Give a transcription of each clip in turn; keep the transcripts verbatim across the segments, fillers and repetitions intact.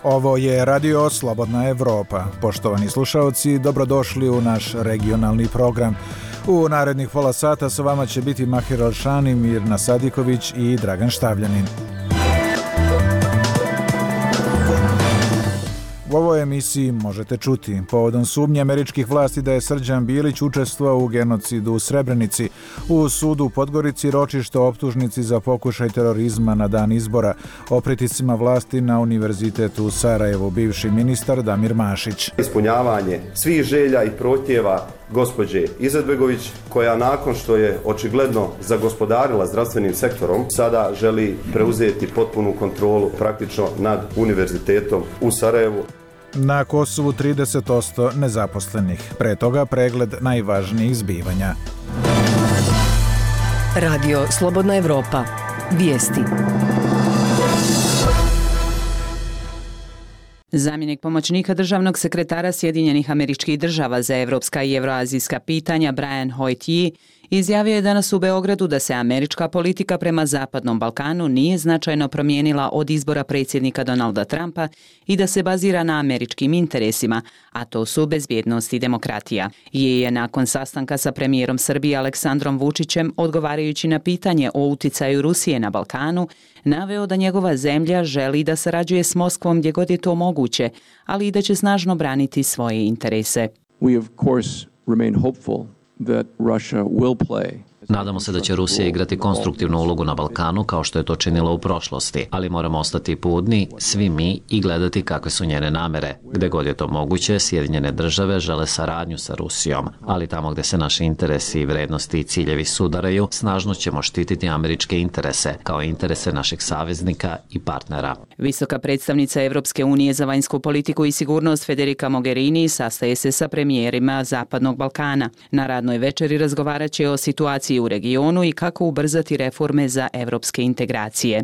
Ovo je Radio Slobodna Evropa. Poštovani slušaoci, dobrodošli u naš regionalni program. U narednih pola sata sa vama će biti Mahir Alšani, Mirna Sadiković i Dragan Štavljanin. U ovoj emisiji možete čuti povodom sumnje američkih vlasti da je Srđan Bilić učestvovao u genocidu u Srebrenici, u sudu u Podgorici ročište optužnici za pokušaj terorizma na dan izbora, o pritiscima vlasti na univerzitetu u Sarajevu, bivši ministar Damir Mašić. Ispunjavanje svih želja i prohtjeva gospođe Izetbegović, koja nakon što je očigledno zagospodarila zdravstvenim sektorom, sada želi preuzeti potpunu kontrolu praktično nad univerzitetom u Sarajevu. Na Kosovu trideset posto nezaposlenih. Pre toga pregled najvažnijih zbivanja. Radio Slobodna Evropa. Vijesti. Zamjenik pomoćnika državnog sekretara Sjedinjenih Američkih Država za evropska i evroazijska pitanja Brian Hoyt izjavio je danas u Beogradu da se američka politika prema Zapadnom Balkanu nije značajno promijenila od izbora predsjednika Donalda Trumpa i da se bazira na američkim interesima, a to su bezbjednost i demokratija. Je je nakon sastanka sa premijerom Srbije Aleksandrom Vučićem, odgovarajući na pitanje o uticaju Rusije na Balkanu, naveo da njegova zemlja želi da sarađuje s Moskvom gdje god je to moguće, ali i da će snažno braniti svoje interese. We of course remain hopeful that Russia will play. Nadamo se da će Rusija igrati konstruktivnu ulogu na Balkanu kao što je to činila u prošlosti, ali moramo ostati budni, svi mi, i gledati kakve su njene namere. Gde god je to moguće, Sjedinjene države žele saradnju sa Rusijom, ali tamo gde se naši interesi, vrednosti i ciljevi sudaraju, snažno ćemo štititi američke interese, kao interese naših saveznika i partnera. Visoka predstavnica Evropske unije za vanjsku politiku i sigurnost Federica Mogherini sastaje se sa premijerima Zapadnog Balkana. Na radnoj večeri razgovarat će o situaciji u regionu i kako ubrzati reforme za evropske integracije.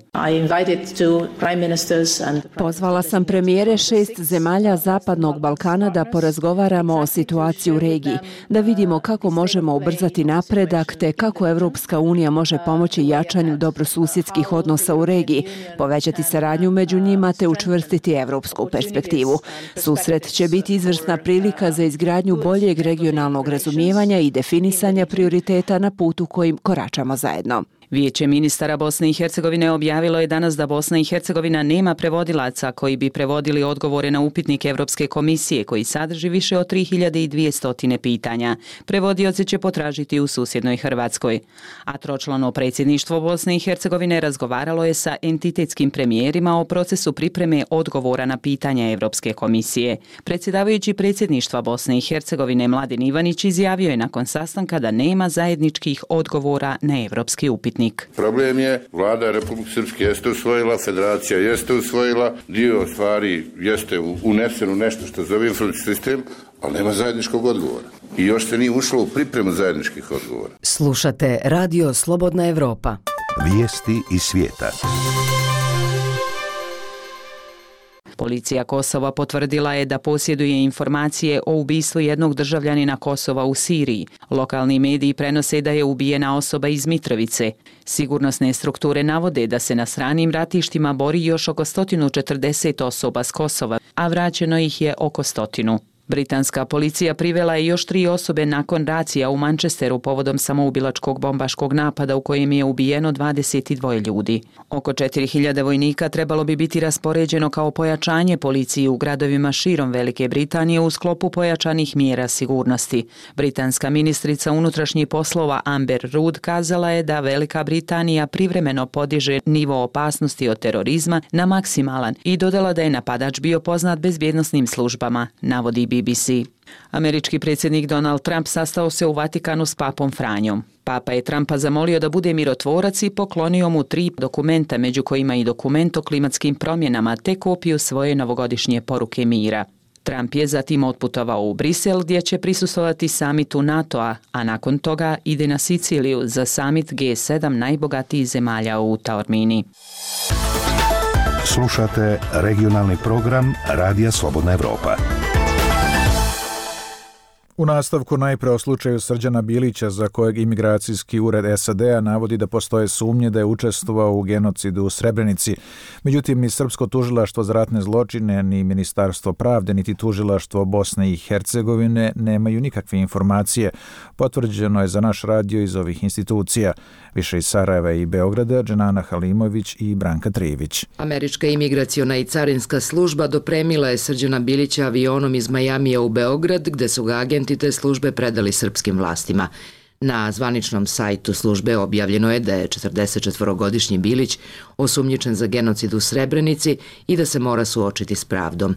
Pozvala sam premijere šest zemalja Zapadnog Balkana da porazgovaramo o situaciji u regiji, da vidimo kako možemo ubrzati napredak te kako Evropska unija može pomoći jačanju dobrosusjedskih odnosa u regiji, povećati saradnju među njima te učvrstiti evropsku perspektivu. Susret će biti izvrsna prilika za izgradnju boljeg regionalnog razumijevanja i definisanja prioriteta na putu kojim koračamo zajedno. Vijeće ministara Bosne i Hercegovine objavilo je danas da Bosna i Hercegovina nema prevodilaca koji bi prevodili odgovore na upitnik Evropske komisije koji sadrži više od tri hiljade dvjesto pitanja. Prevodioci će potražiti u susjednoj Hrvatskoj. A tročlano predsjedništvo Bosne i Hercegovine razgovaralo je sa entitetskim premijerima o procesu pripreme odgovora na pitanja Evropske komisije. Predsjedavajući predsjedništva Bosne i Hercegovine Mladen Ivanić izjavio je nakon sastanka da nema zajedničkih odgovora na evropski upitnik. Problem je, vlada Republike Srpske jeste usvojila, federacija jeste usvojila, dio stvari jeste uneseno nešto što zove informacijski sistem, ali nema zajedničkog odgovora. I još se nije ušlo u pripremu zajedničkih odgovora. Slušate Radio Slobodna Evropa. Vijesti iz svijeta. Policija Kosova potvrdila je da posjeduje informacije o ubistvu jednog državljanina Kosova u Siriji. Lokalni mediji prenose da je ubijena osoba iz Mitrovice. Sigurnosne strukture navode da se na stranim ratištima bori još oko sto četrdeset osoba s Kosova, a vraćeno ih je oko stotinu. Britanska policija privela je još tri osobe nakon racija u Manchesteru povodom samoubilačkog bombaškog napada u kojem je ubijeno dvadeset dva ljudi. Oko četiri hiljade vojnika trebalo bi biti raspoređeno kao pojačanje policiji u gradovima širom Velike Britanije u sklopu pojačanih mjera sigurnosti. Britanska ministrica unutrašnjih poslova Amber Rudd kazala je da Velika Britanija privremeno podiže nivo opasnosti od terorizma na maksimalan i dodala da je napadač bio poznat bezbjednosnim službama, navodi B B C. Američki predsjednik Donald Trump sastao se u Vatikanu s papom Franjom. Papa je Trumpa zamolio da bude mirotvorac i poklonio mu tri dokumenta, među kojima i dokument o klimatskim promjenama te kopiju svoje novogodišnje poruke mira. Trump je zatim otputovao u Brisel gdje će prisustvovati samitu NATO-a, a nakon toga ide na Siciliju za samit G sedam najbogatijih zemalja u Taormini. Slušate regionalni program Radija Slobodna Evropa. U nastavku najpre o slučaju Srđana Bilića, za kojeg imigracijski ured S A D-a navodi da postoje sumnje da je učestvovao u genocidu u Srebrenici. Međutim, ni Srpsko tužilaštvo za ratne zločine, ni Ministarstvo pravde, niti tužilaštvo Bosne i Hercegovine nemaju nikakve informacije. Potvrđeno je za naš radio iz ovih institucija. Više iz Sarajeva i Beograda, Dženana Halimović i Branka Trijević. Američka imigraciona i carinska služba dopremila je Srđana Bilića avionom iz Majamija u Beograd, gde su ga agenti te službe predali srpskim vlastima. Na zvaničnom sajtu službe objavljeno je da je četrdesetčetvorogodišnji Bilić osumnjičen za genocid u Srebrenici i da se mora suočiti s pravdom.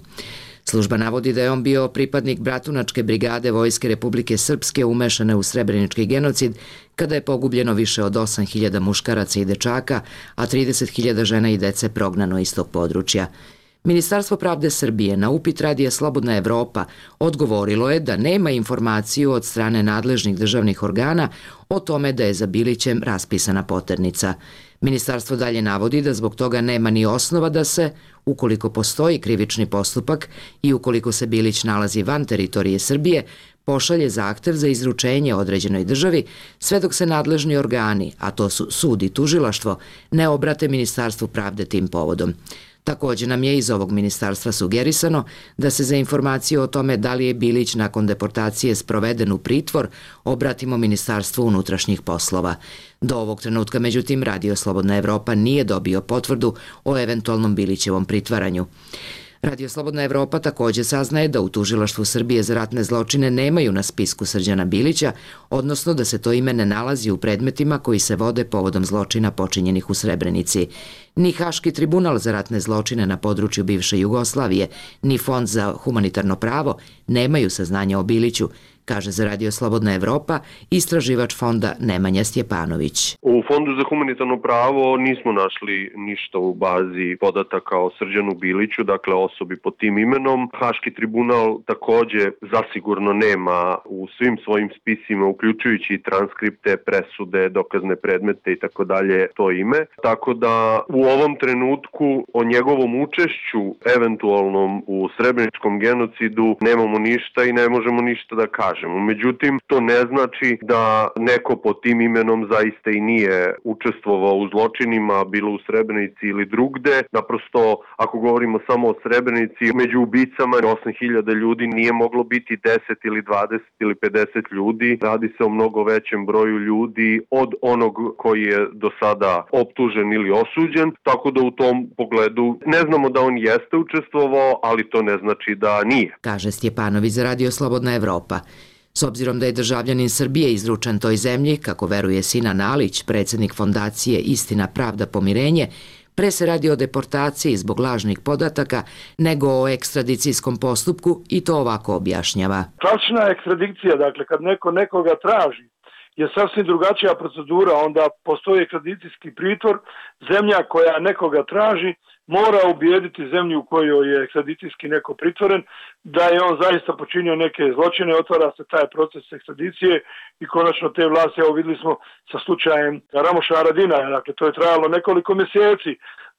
Služba navodi da je on bio pripadnik Bratunačke brigade Vojske Republike Srpske umešane u srebrenički genocid, kada je pogubljeno više od osam hiljada muškaraca i dečaka, a trideset hiljada žena i dece prognano iz tog područja. Ministarstvo pravde Srbije na upit radija Slobodna Evropa odgovorilo je da nema informaciju od strane nadležnih državnih organa o tome da je za Bilićem raspisana poternica. Ministarstvo dalje navodi da zbog toga nema ni osnova da se, ukoliko postoji krivični postupak i ukoliko se Bilić nalazi van teritorije Srbije, pošalje zahtev za izručenje određenoj državi, sve dok se nadležni organi, a to su sud i tužilaštvo, ne obrate Ministarstvu pravde tim povodom. Također nam je iz ovog ministarstva sugerisano da se za informaciju o tome da li je Bilić nakon deportacije sproveden u pritvor obratimo Ministarstvu unutrašnjih poslova. Do ovog trenutka, međutim, Radio Slobodna Evropa nije dobio potvrdu o eventualnom Bilićevom pritvaranju. Radio Slobodna Evropa također saznaje da u Tužilaštvu Srbije za ratne zločine nemaju na spisku Srđana Bilića, odnosno da se to ime ne nalazi u predmetima koji se vode povodom zločina počinjenih u Srebrenici. Ni Haški tribunal za ratne zločine na području bivše Jugoslavije, ni Fond za humanitarno pravo nemaju saznanja o Biliću, kaže za Radio Slobodna Evropa istraživač fonda Nemanja Stjepanović. U Fondu za humanitarno pravo nismo našli ništa u bazi podataka o Srđanu Biliću, dakle osobi pod tim imenom. Haški tribunal također zasigurno nema u svim svojim spisima, uključujući i transkripte, presude, dokazne predmete i tako dalje to ime. Tako da u ovom trenutku o njegovom učešću eventualnom u srebreničkom genocidu nemamo ništa i ne možemo ništa da kažemo. Međutim, to ne znači da neko pod tim imenom zaista i nije učestvovao u zločinima, bilo u Srebrenici ili drugde. Naprosto, ako govorimo samo o Srebrenici, među ubicama osam hiljada ljudi nije moglo biti deset ili dvadeset ili pedeset ljudi. Radi se o mnogo većem broju ljudi od onog koji je do sada optužen ili osuđen, tako da u tom pogledu ne znamo da on jeste učestvovao, ali to ne znači da nije. Kaže Stjepanović za Radio Slobodna Evropa. S obzirom da je državljanin Srbije izručen toj zemlji, kako veruje Sinan Alić, predsjednik fondacije Istina, pravda, pomirenje, pre se radi o deportaciji zbog lažnih podataka nego o ekstradicijskom postupku i to ovako objašnjava. Klasična ekstradicija, dakle kad neko nekoga traži, je sasvim drugačija procedura, onda postoji ekstradicijski pritvor, zemlja koja nekoga traži mora ubijediti zemlju u kojoj je ekstradicijski neko pritvoren da je on zaista počinio neke zločine, otvara se taj proces ekstradicije i konačno te vlasti, evo vidjeli smo sa slučajem Ramoša Haradinaja, dakle to je trajalo nekoliko mjeseci.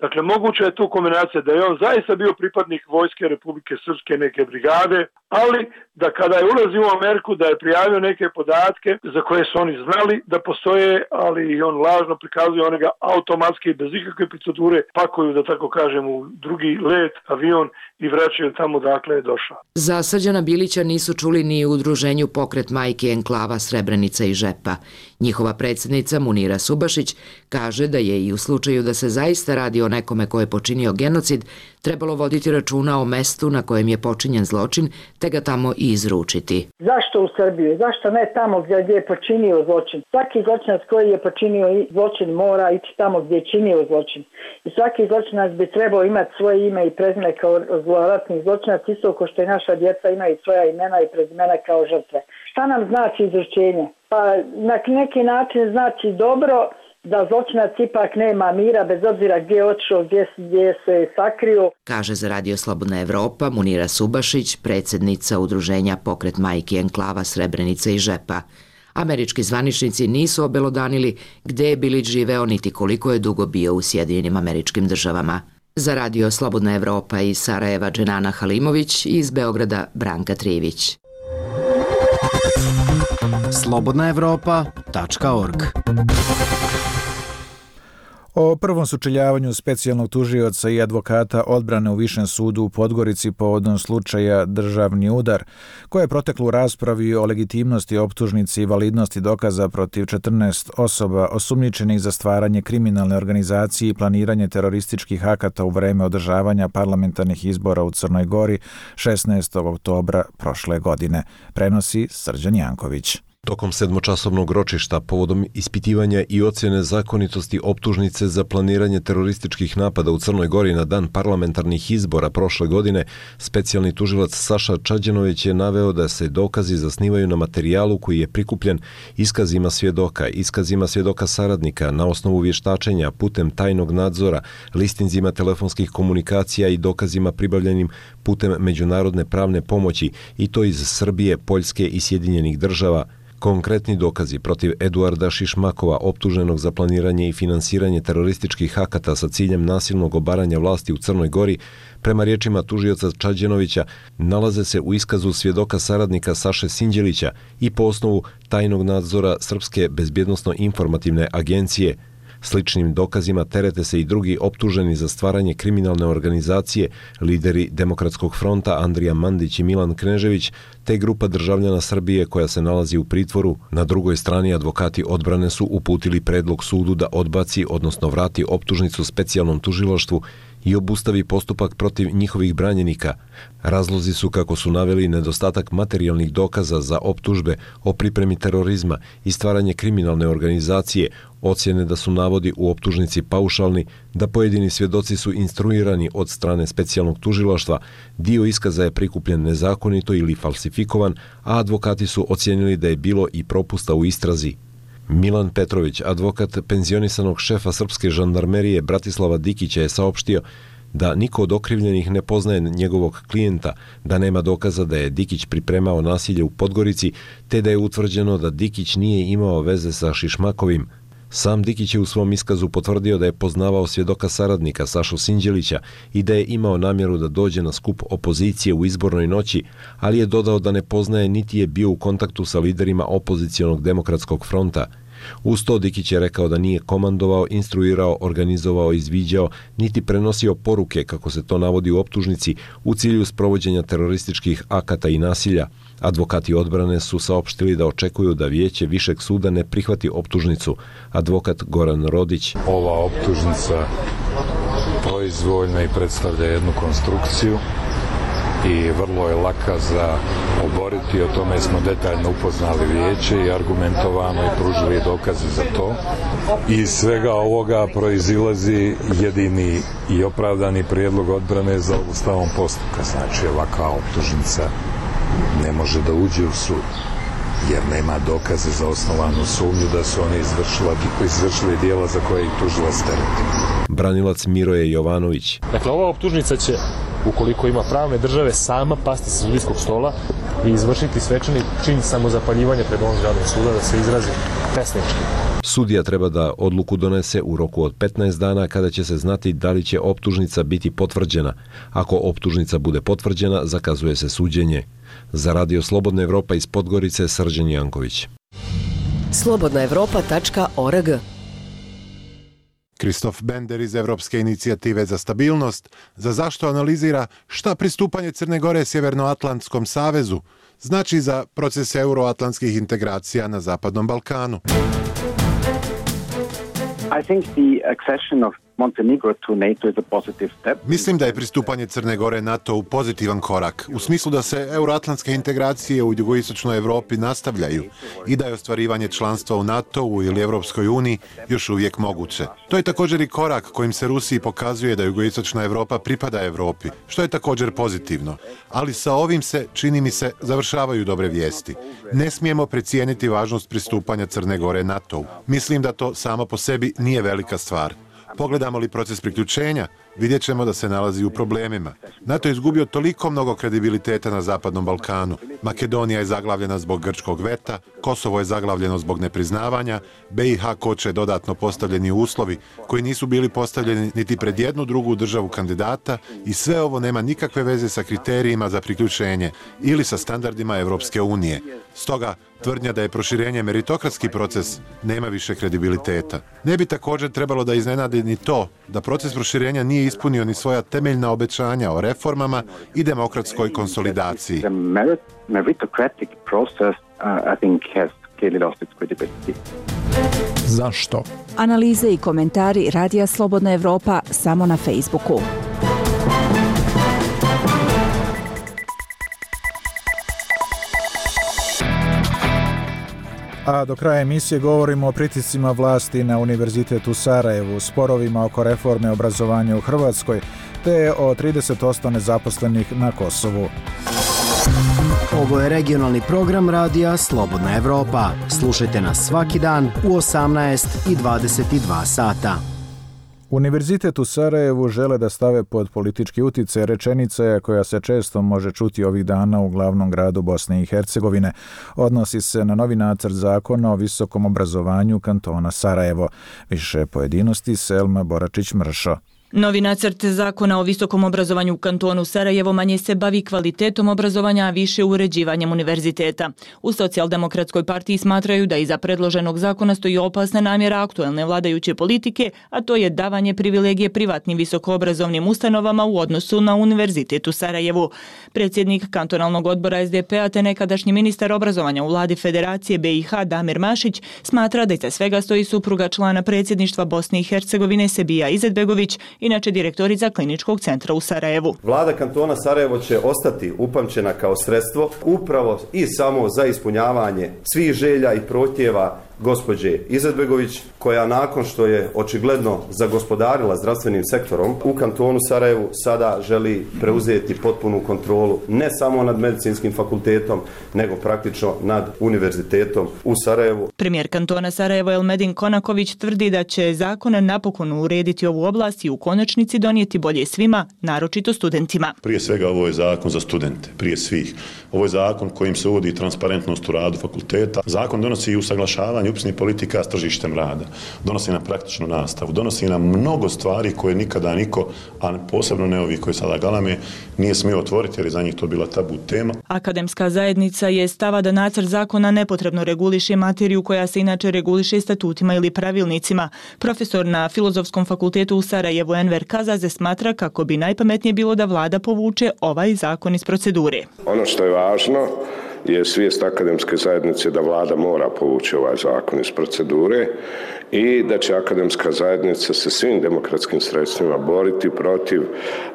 Dakle, moguća je tu kombinacija da je on zaista bio pripadnik Vojske Republike Srpske neke brigade, ali da kada je ulazio u Ameriku da je prijavio neke podatke za koje su oni znali da postoje, ali on lažno prikazuje, one ga automatski bez ikakve procedure pakuju, da tako kažem, u drugi let, avion i vraćaju tamo dakle je došao. Za Srđana Bilića nisu čuli ni u udruženju Pokret majke enklava Srebrenica i Žepa. Njihova predsjednica Munira Subašić kaže da je i u slučaju da se zaista radi o nekome ko je počinio genocid, trebalo voditi računa o mestu na kojem je počinjen zločin, te ga tamo i izručiti. Zašto u Srbiju? Zašto ne tamo gdje je počinio zločin? Svaki zločinac koji je počinio zločin mora ići tamo gdje je činio zločin. I svaki zločinac bi trebao imati svoje ime i prezime kao zloratni zločinac, isto kao što i naša djeca imaju svoja imena i prezimena kao žrtve. Šta nam znači izručenje? Pa na neki način znači dobro da zločinac ipak nema mira bez obzira gdje je otišao, gdje, gdje se sakrio. Kaže za Radio Slobodna Evropa Munira Subašić, predsjednica udruženja Pokret majke enklava Srebrenica i Žepa. Američki zvaničnici nisu obelodanili gdje je Bilić živeo niti koliko je dugo bio u Sjedinjenim Američkim Državama. Za Radio Slobodna Evropa iz Sarajeva Dženana Halimović i iz Beograda Branka Trijević. slobodna evropa tačka org. O prvom sučeljavanju specijalnog tužioca i advokata odbrane u Višem sudu u Podgorici povodom slučaja Državni udar, koje je proteklo u raspravi o legitimnosti optužnici i validnosti dokaza protiv četrnaest osoba osumnjičenih za stvaranje kriminalne organizacije i planiranje terorističkih akata u vreme održavanja parlamentarnih izbora u Crnoj Gori šesnaestog oktobra prošle godine, prenosi Srđan Janković. Tokom sedmočasovnog ročišta povodom ispitivanja i ocjene zakonitosti optužnice za planiranje terorističkih napada u Crnoj Gori na dan parlamentarnih izbora prošle godine, specijalni tužilac Saša Čađenović je naveo da se dokazi zasnivaju na materijalu koji je prikupljen iskazima svjedoka, iskazima svjedoka saradnika na osnovu vještačenja putem tajnog nadzora, listinzima telefonskih komunikacija i dokazima pribavljenim putem međunarodne pravne pomoći, i to iz Srbije, Poljske i Sjedinjenih država. Konkretni dokazi protiv Eduarda Šišmakova, optuženog za planiranje i finansiranje terorističkih akata sa ciljem nasilnog obaranja vlasti u Crnoj Gori, prema riječima tužioca Čađenovića, nalaze se u iskazu svjedoka saradnika Saše Sinđelića i po osnovu tajnog nadzora Srpske bezbjednosno-informativne agencije. Sličnim dokazima terete se i drugi optuženi za stvaranje kriminalne organizacije, lideri Demokratskog fronta Andrija Mandić i Milan Knežević, te grupa državljana Srbije koja se nalazi u pritvoru. Na drugoj strani advokati odbrane su uputili predlog sudu da odbaci, odnosno vrati optužnicu specijalnom tužilaštvu i obustavi postupak protiv njihovih branjenika. Razlozi su, kako su naveli, nedostatak materijalnih dokaza za optužbe o pripremi terorizma i stvaranje kriminalne organizacije, ocjene da su navodi u optužnici paušalni, da pojedini svjedoci su instruirani od strane specijalnog tužilaštva, dio iskaza je prikupljen nezakonito ili falsifikovan, a advokati su ocijenili da je bilo i propusta u istrazi. Milan Petrović, advokat penzionisanog šefa srpske žandarmerije Bratislava Dikića, je saopštio da niko od okrivljenih ne poznaje njegovog klijenta, da nema dokaza da je Dikić pripremao nasilje u Podgorici, te da je utvrđeno da Dikić nije imao veze sa Šišmakovim. Sam Dikić je u svom iskazu potvrdio da je poznavao svjedoka saradnika Sašu Sinđelića i da je imao namjeru da dođe na skup opozicije u izbornoj noći, ali je dodao da ne poznaje niti je bio u kontaktu sa liderima opozicionog Demokratskog fronta. Uz to Dikić je rekao da nije komandovao, instruirao, organizovao, izviđao, niti prenosio poruke, kako se to navodi u optužnici, u cilju sprovođenja terorističkih akata i nasilja. Advokati odbrane su saopštili da očekuju da vijeće Višeg suda ne prihvati optužnicu. Advokat Goran Rodić: ova optužnica proizvoljna i predstavlja jednu konstrukciju i vrlo je laka za oboriti. O tome smo detaljno upoznali vijeće i argumentovano i pružili dokaze za to. Iz svega ovoga proizilazi jedini i opravdani prijedlog odbrane za obustavom postupka. Znači, ovakva optužnica ne može da uđe u sud, jer nema dokaze za osnovanu sumnju da su oni izvršili, izvršili dijela za koje ih tužilac tereti. Branilac Miroje Jovanović: dakle, ova optužnica će, ukoliko ima pravne države, sama pasti sa sudijskog stola i izvršiti svečani čin samozapaljivanja pred ovom zgradom suda, da se izrazi pesnički. Sudija treba da odluku donese u roku od petnaest dana, kada će se znati da li će optužnica biti potvrđena. Ako optužnica bude potvrđena, zakazuje se suđenje. Za Radio Slobodna Evropa iz Podgorice, Srđan Janković. slobodna evropa tačka org. Kristof Bender iz Evropske inicijative za stabilnost za zašto analizira šta pristupanje Crne Gore Sjevernoatlantskom savezu znači za proces euroatlantskih integracija na Zapadnom Balkanu. I think the accession of Montenegro to NATO is a positive step. Mislim da je pristupanje Crne Gore NATO-u pozitivan korak, u smislu da se euroatlantske integracije u jugoistočnoj Evropi nastavljaju i da je ostvarivanje članstva u NATO-u ili Evropskoj uniji još uvijek moguće. To je također i korak kojim se Rusiji pokazuje da jugoistočna Evropa pripada Evropi, što je također pozitivno. Ali sa ovim se, čini mi se, završavaju dobre vijesti. Ne smijemo precijeniti važnost pristupanja Crne Gore NATO-u. Mislim da to samo po sebi nije velika stvar. Pogledamo li proces priključenja, vidjet ćemo da se nalazi u problemima. NATO je izgubio toliko mnogo kredibiliteta na Zapadnom Balkanu. Makedonija je zaglavljena zbog grčkog veta, Kosovo je zaglavljeno zbog nepriznavanja, B i H koče dodatno postavljeni uslovi koji nisu bili postavljeni niti pred jednu drugu državu kandidata i sve ovo nema nikakve veze sa kriterijima za priključenje ili sa standardima Evropske unije. Stoga, Tvrdnja da je proširenje meritokratski proces nema više kredibiliteta. Ne bi također trebalo da iznenadi ni to da proces proširenja nije ispunio ni svoja temeljna obećanja o reformama i demokratskoj konsolidaciji. Meritocratic process, uh, I think, has clearly lost its credibility. Zašto? Analize i komentari Radija Slobodna Evropa samo na Facebooku. A do kraja emisije govorimo o pritiscima vlasti na Univerzitet u Sarajevu, sporovima oko reforme obrazovanja u Hrvatskoj, te o trideset posto nezaposlenih na Kosovu. Ovo je regionalni program Radija Slobodna Evropa. Slušajte nas svaki dan u osamnaest i dvadeset dva sata. Univerzitet u Sarajevu žele da stave pod politički uticaj, rečenica je koja se često može čuti ovih dana u glavnom gradu Bosne i Hercegovine. Odnosi se na novi nacrt zakona o visokom obrazovanju kantona Sarajevo. Više pojedinosti Selma Boračić-Mršo. Novi nacrt zakona o visokom obrazovanju u kantonu Sarajevo manje se bavi kvalitetom obrazovanja, a više uređivanjem univerziteta. U Socijaldemokratskoj partiji smatraju da iza predloženog zakona stoji opasna namjera aktuelne vladajuće politike, a to je davanje privilegije privatnim visokoobrazovnim ustanovama u odnosu na Univerzitet u Sarajevu. Predsjednik kantonalnog odbora es de pe a te nekadašnji ministar obrazovanja u vladi Federacije be i ha Damir Mašić smatra da iza svega stoji supruga člana predsjedništva Bosne i Hercegovine Sebija Izetbegović, inače direktorica Kliničkog centra u Sarajevu. Vlada kantona Sarajevo će ostati upamćena kao sredstvo upravo i samo za ispunjavanje svih želja i prohtjeva gospođe Izetbegović, koja nakon što je očigledno zagospodarila zdravstvenim sektorom u kantonu Sarajevu sada želi preuzeti potpunu kontrolu ne samo nad medicinskim fakultetom, nego praktično nad univerzitetom u Sarajevu. Premijer kantona Sarajevo Elmedin Konaković tvrdi da će zakon napokon urediti ovu oblast i u konačnici donijeti bolje svima, naročito studentima. Prije svega ovo je zakon za studente, prije svih. Ovo je zakon kojim se uvodi transparentnost u radu fakulteta. Zakon donosi i usaglašavanje upisnih politika s tržištem rada, donosi nam praktičnu nastavu, donosi nam mnogo stvari koje nikada niko, a posebno ne ovi koji sada galame, nije smio otvoriti jer je za njih to bila tabu tema. Akademska zajednica je stava da nacrt zakona nepotrebno reguliše materiju koja se inače reguliše statutima ili pravilnicima. Profesor na Filozofskom fakultetu u Sarajevu Enver Kazaze smatra kako bi najpametnije bilo da vlada povuče ovaj zakon iz procedure. Ono što je važno je svijest akademske zajednice da vlada mora povući ovaj zakon iz procedure i da će akademska zajednica se svim demokratskim sredstvima boriti protiv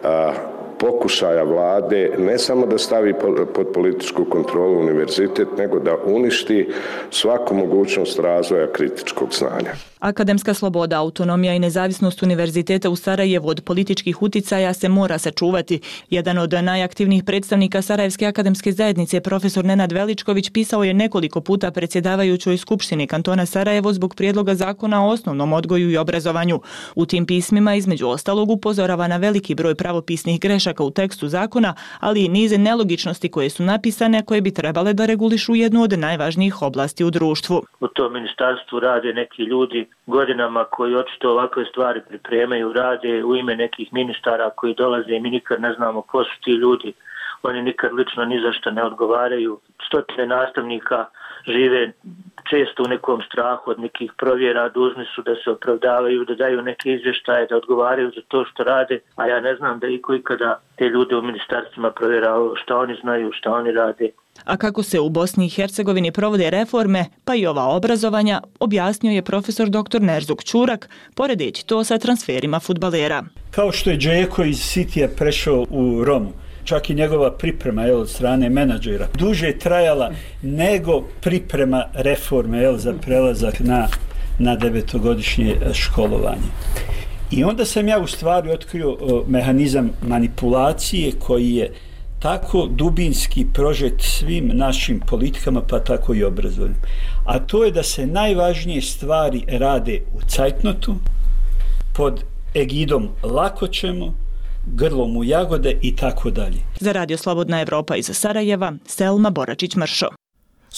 a, pokušaja vlade ne samo da stavi pod političku kontrolu univerzitet, nego da uništi svaku mogućnost razvoja kritičkog znanja. Akademska sloboda, autonomija i nezavisnost univerziteta u Sarajevu od političkih uticaja se mora sačuvati. Jedan od najaktivnijih predstavnika Sarajevske akademske zajednice, profesor Nenad Veličković, pisao je nekoliko puta predsjedavajućoj Skupštini kantona Sarajevo zbog prijedloga zakona o osnovnom odgoju i obrazovanju. U tim pismima, između ostalog, upozorava na veliki broj pravopisnih grešaka u tekstu zakona, ali i nize nelogičnosti koje su napisane, koje bi trebale da regulišu jednu od najvažnijih oblasti u društvu. U tom ministarstvu rade neki ljudi godinama koji očito ovakve stvari pripremaju, rade u ime nekih ministara koji dolaze i mi nikad ne znamo ko su ti ljudi. Oni nikad lično ni za što ne odgovaraju. Stotine nastavnika žive često u nekom strahu od nekih provjera, dužni su da se opravdavaju, da daju neke izvještaje, da odgovaraju za to što rade, a ja ne znam da iko ikada te ljude u ministarstvima provjeravaju šta oni znaju, šta oni rade. A kako se u Bosni i Hercegovini provode reforme, pa i ova obrazovanja, objasnio je profesor doktor Nerzuk Ćurak, poredeći to sa transferima fudbalera. Kao što je Džeko iz Citya prešao u Romu, čak i njegova priprema jel, od strane menadžera duže je trajala nego priprema reforme jel, za prelazak na, na devetogodišnje školovanje. I onda sam ja u stvari otkrio o, mehanizam manipulacije koji je tako dubinski prožet svim našim politikama, pa tako i obrazovanjem. A to je da se najvažnije stvari rade u cajtnotu, pod egidom lako ćemo, grlom u jagode i tako dalje. Za Radio Slobodna Evropa iz Sarajeva, Selma Boračić-Mršo.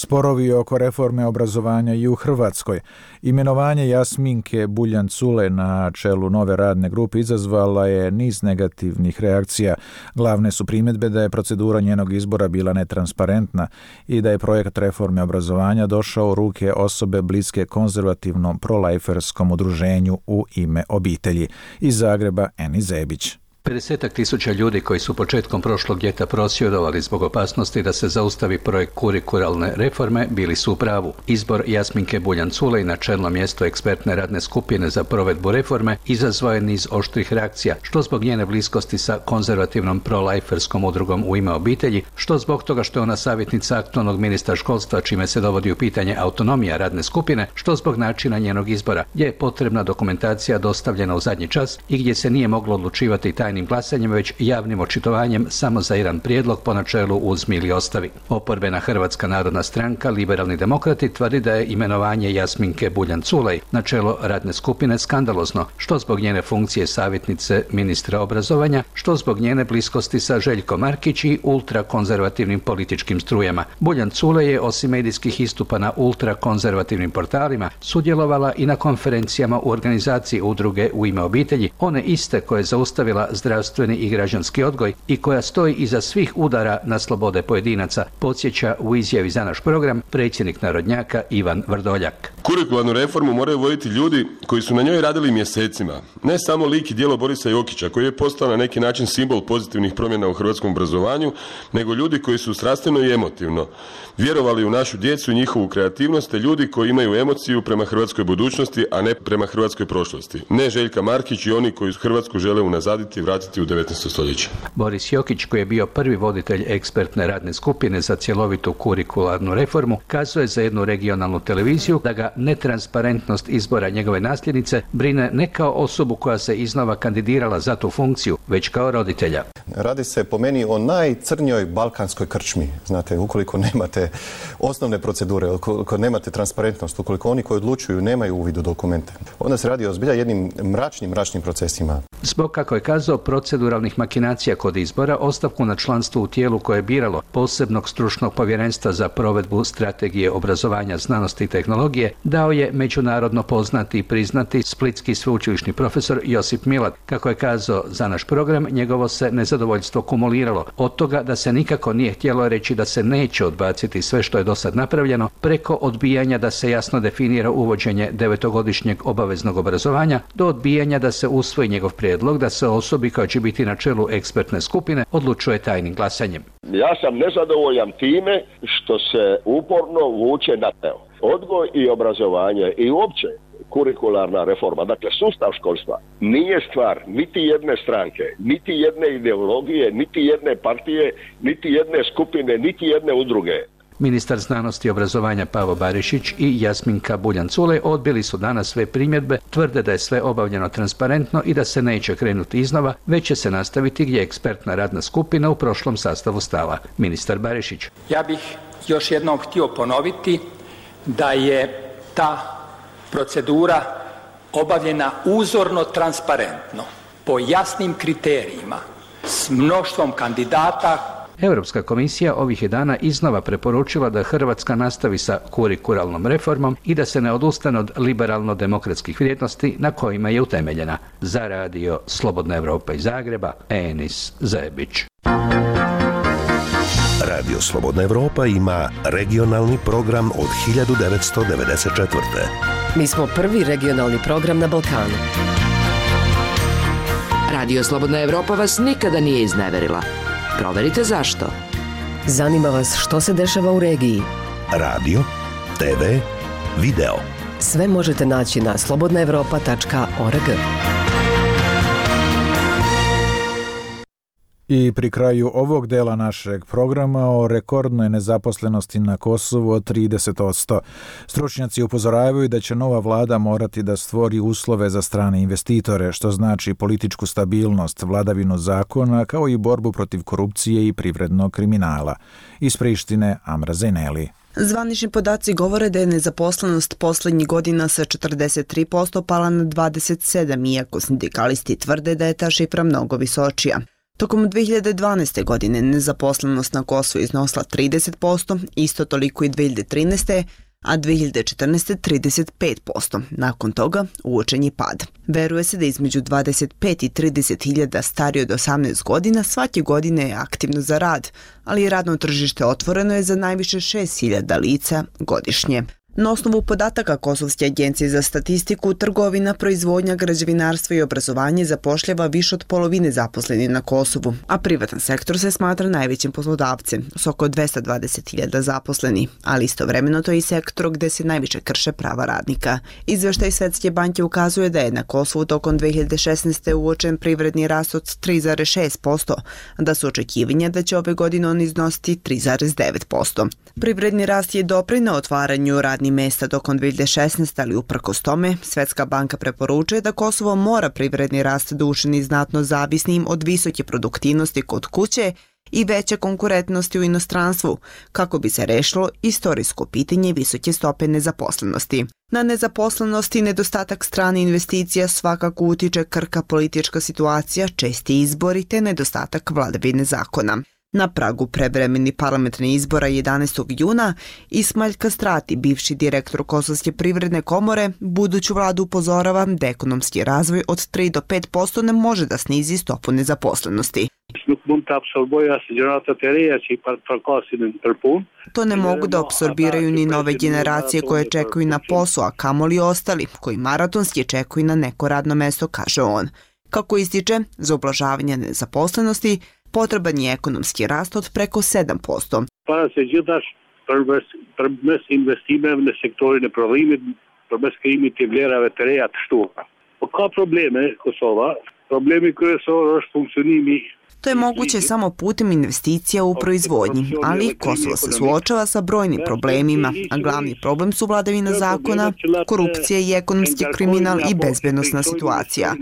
Sporovi oko reforme obrazovanja i u Hrvatskoj. Imenovanje Jasminke Buljan-Culej na čelu nove radne grupe izazvala je niz negativnih reakcija. Glavne su primjedbe da je procedura njenog izbora bila netransparentna i da je projekt reforme obrazovanja došao u ruke osobe bliske konzervativnom prolajferskom udruženju U ime obitelji. Iz Zagreba Eni Zebić. pedeset tisuća ljudi koji su početkom prošlog ljeta prosvjedovali zbog opasnosti da se zaustavi projekt kurikularne reforme bili su u pravu. Izbor Jasminke Buljan-Culej na čelno mjesto ekspertne radne skupine za provedbu reforme izazvao je niz oštrih reakcija, što zbog njene bliskosti sa konzervativnom prolajferskom udrugom U ime obitelji, što zbog toga što je ona savjetnica aktualnog ministra školstva, čime se dovodi u pitanje autonomija radne skupine, što zbog načina njenog izbora, gdje je potrebna dokumentacija dostavljena u zadnji čas i gdje se nije moglo odlučivati tajnim glasanjem, već javnim očitovanjem samo za jedan prijedlog po načelu uzmi ili ostavi. Oporbena Hrvatska narodna stranka, Liberalni demokrati, tvrdi da je imenovanje Jasminke Buljan-Culej na čelo radne skupine skandalozno, što zbog njene funkcije savjetnice ministra obrazovanja, što zbog njene bliskosti sa Željkom Markić i ultrakonzervativnim političkim strujama. Buljan-Culej je osim medijskih istupa na ultrakonzervativnim portalima sudjelovala i na konferencijama u organizaciji udruge U ime obitelji, one iste koje je zaustavila zdravstveni i građanski odgoj i koja stoji iza svih udara na slobode pojedinaca, podsjeća u izjavi za naš program predsjednik narodnjaka Ivan Vrdoljak. Kurikularnu reformu moraju voditi ljudi koji su na njoj radili mjesecima. Ne samo lik i djelo Borisa Jokića, koji je postao na neki način simbol pozitivnih promjena u hrvatskom obrazovanju, nego ljudi koji su strastveno i emotivno vjerovali u našu djecu i njihovu kreativnost, te ljudi koji imaju emociju prema hrvatskoj budućnosti, a ne prema hrvatskoj prošlosti. Ne Željka Markić i oni koji Hrvatsku žele unazaditi i vratiti u devetnaesto stoljeće. Boris Jokić, koji je bio prvi voditelj ekspertne radne skupine za cjelovitu kurikularnu reformu, kazuje za jednu regionalnu televiziju da ga netransparentnost izbora njegove nasljednice brine ne kao osobu koja se iznova kandidirala za tu funkciju, već kao roditelja. Radi se po meni o najcrnjoj balkanskoj krčmi. Znate, ukoliko nemate osnovne procedure, ukoliko nemate transparentnost, ukoliko oni koji odlučuju nemaju uvid u dokumente, onda se radi o zbilja jednim mračnim, mračnim procesima. Zbog, kako je kazao, proceduralnih makinacija kod izbora, ostavku na članstvo u tijelu koje je biralo posebnog stručnog povjerenstva za provedbu strategije obrazovanja, znanosti i tehnologije dao je međunarodno poznati i priznati splitski sveučilišni profesor Josip Milat. Kako je kazao za naš program, njegovo se nezadovoljstvo kumuliralo od toga da se nikako nije htjelo reći da se neće odbaciti sve što je do sad napravljeno, preko odbijanja da se jasno definira uvođenje devetogodišnjeg obaveznog obrazovanja, do odbijanja da se usvoji njegov prijedlog da se osobi koja će biti na čelu ekspertne skupine odlučuje tajnim glasanjem. Ja sam nezadovoljan time što se uporno vuče na teo. Odgoj i obrazovanje i uopće kurikularna reforma, dakle sustav školstva, nije stvar niti jedne stranke, niti jedne ideologije, niti jedne partije, niti jedne skupine, niti jedne udruge. Ministar znanosti i obrazovanja Pavo Barišić i Jasminka Buljan-Culej odbili su danas sve primjedbe, tvrde da je sve obavljeno transparentno i da se neće krenuti iznova, već će se nastaviti gdje je ekspertna radna skupina u prošlom sastavu stala. Ministar Barišić. Ja bih još jednom htio ponoviti da je ta procedura obavljena uzorno transparentno, po jasnim kriterijima, s mnoštvom kandidata. Europska komisija ovih je dana iznova preporučila da Hrvatska nastavi sa kurikularnom reformom i da se ne odustane od liberalno-demokratskih vrijednosti na kojima je utemeljena. Za radio Slobodna Evropa iz Zagreba, Enis Zebić. Radio Slobodna Evropa ima regionalni program od hiljadu devetsto devedeset četvrte. Mi smo prvi regionalni program na Balkanu. Radio Slobodna Evropa vas nikada nije izneverila. Proverite zašto. Zanima vas što se dešava u regiji. Radio, te ve, video. Sve možete naći na slobodna evropa tačka org. I pri kraju ovog dela našeg programa o rekordnoj nezaposlenosti na Kosovu od trideset posto. Stručnjaci upozoravaju da će nova vlada morati da stvori uslove za strane investitore, što znači političku stabilnost, vladavinu zakona, kao i borbu protiv korupcije i privrednog kriminala. Iz Prištine, Amra Zeneli. Zvanični podaci govore da je nezaposlenost posljednjih godina sa četrdeset tri posto pala na dvadeset sedam, iako sindikalisti tvrde da je ta šifra mnogo visočija. Tokom dve hiljade dvanaeste. godine nezaposlenost na Kosovu iznosila trideset posto, isto toliko i dve hiljade trinaeste. a dve hiljade četrnaeste. trideset pet posto. Nakon toga uočen je pad. Veruje se da između dvadeset pet i trideset hiljada stariji od osamnaest godina svake godine je aktivno za rad, ali radno tržište otvoreno je za najviše šest hiljada lica godišnje. Na osnovu podataka Kosovske agencije za statistiku, trgovina, proizvodnja, građevinarstvo i obrazovanje zapošljava više od polovine zaposlenih na Kosovu, a privatan sektor se smatra najvećim poslodavcem, s oko dvesta dvadeset hiljada zaposlenih, ali istovremeno to je i sektor gde se najviše krše prava radnika. Izveštaj Svetske banke ukazuje da je na Kosovu tokom dve hiljade šesnaeste. uočen privredni rast od tri zarez šest posto, a da su očekivanja da će ove godine on iznositi tri zarez devet posto. Privredni rast je doprineo otvaranju radnih mesta tokom dve hiljade šesnaeste. ali uprkos tome, Svetska banka preporučuje da Kosovo mora privredni rast da učini znatno zavisnim od visoke produktivnosti kod kuće i veće konkurentnosti u inostranstvu, kako bi se rešilo istorijsko pitanje visoke stope nezaposlenosti. Na nezaposlenost i nedostatak strane investicija svakako utiče krka politička situacija, česti izbori te nedostatak vladavine zakona. Na pragu prevremeni parlamentarnih izbora jedanaestog juna Ismail Kastrati, bivši direktor Kosovske privredne komore, buduću vladu upozorava da ekonomski razvoj od tri do pet posto ne može da snizi stopu nezaposlenosti. To ne mogu da apsorbiraju ni nove generacije koje čekaju na posao, a kamoli ostali koji maratonski čekaju na neko radno mesto, kaže on. Kako ističe, za ublažavanje nezaposlenosti potreban je ekonomski rast od preko sedam posto. Para se gjithash përmes investimeve në sektorin e prodhimit, përmes krijimit të vlerave të reja të shtuara. Po ka probleme Kosova, problemi kryesor është funksionimi. To je moguće samo putem investicija u proizvodnji, ali Kosovo se suočava sa brojnim problemima, a glavni problem su vladavina zakona, korupcija i ekonomski kriminal i bezbednosna situacija.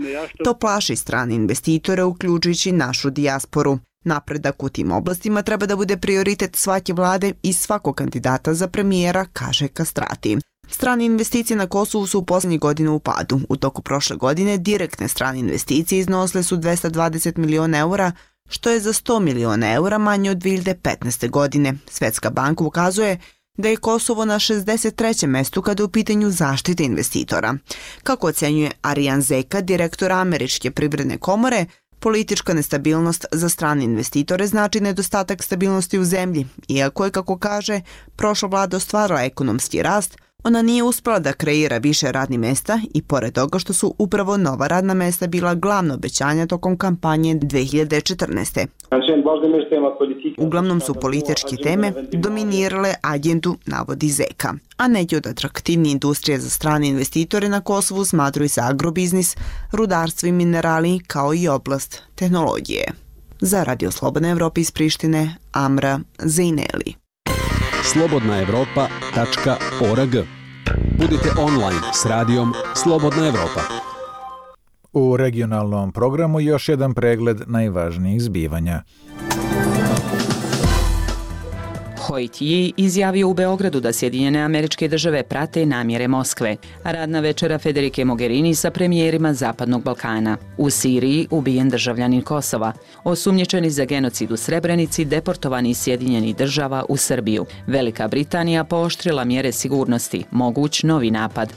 To plaši strane investitore, uključujući našu dijasporu. Napredak u tim oblastima treba da bude prioritet svake vlade i svakog kandidata za premijera, kaže Kastrati. Strane investicije na Kosovu su u posljednjih godina u padu. U toku prošle godine direktne strane investicije iznosile su dvesta dvadeset miliona eura, što je za sto miliona eura manje od dve hiljade petnaeste. godine. Svetska banka ukazuje da je Kosovo na šezdeset trećem mestu kada je u pitanju zaštite investitora. Kako ocenjuje Arijan Zeka, direktor Američke privredne komore, politička nestabilnost za strane investitore znači nedostatak stabilnosti u zemlji. Iako je, kako kaže, prošla vlada ostvarila ekonomski rast, ona nije uspela da kreira više radnih mesta i pored toga što su upravo nova radna mesta bila glavno obećanja tokom kampanje dve hiljade četrnaeste. Uglavnom su političke teme dominirale agendu, navodi Zeka. A neki od atraktivnije industrije za strane investitore na Kosovu smatruju se agrobiznis, rudarstvo i minerali, kao i oblast tehnologije. Za Radio Slobodna Evropa iz Prištine, Amra Zejneli. slobodna evropa tačka org. Budite online s radijom Slobodna Evropa. U regionalnom programu još jedan pregled najvažnijih zbivanja. Hoyt Yi izjavio u Beogradu da Sjedinjene Američke Države prate namjere Moskve. Radna večera Federike Mogherini sa premijerima Zapadnog Balkana. U Siriji ubijen državljanin Kosova. Osumnjičeni za genocid u Srebrenici deportovani iz Sjedinjenih Država u Srbiju. Velika Britanija pooštrila mjere sigurnosti. Moguć novi napad.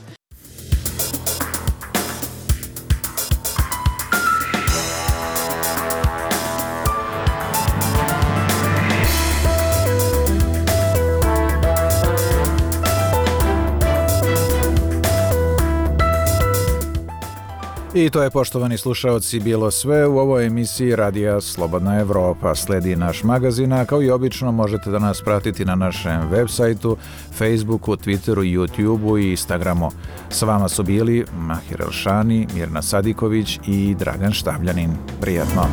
I to je, poštovani slušaoci, bilo sve u ovoj emisiji Radija Slobodna Evropa. Sledi naš magazin, a kao i obično možete da nas pratiti na našem web sajtu, Facebooku, Twitteru, YouTubeu i Instagramu. S vama su bili Mahir Elšani, Mirna Sadiković i Dragan Štavljanin. Prijatno!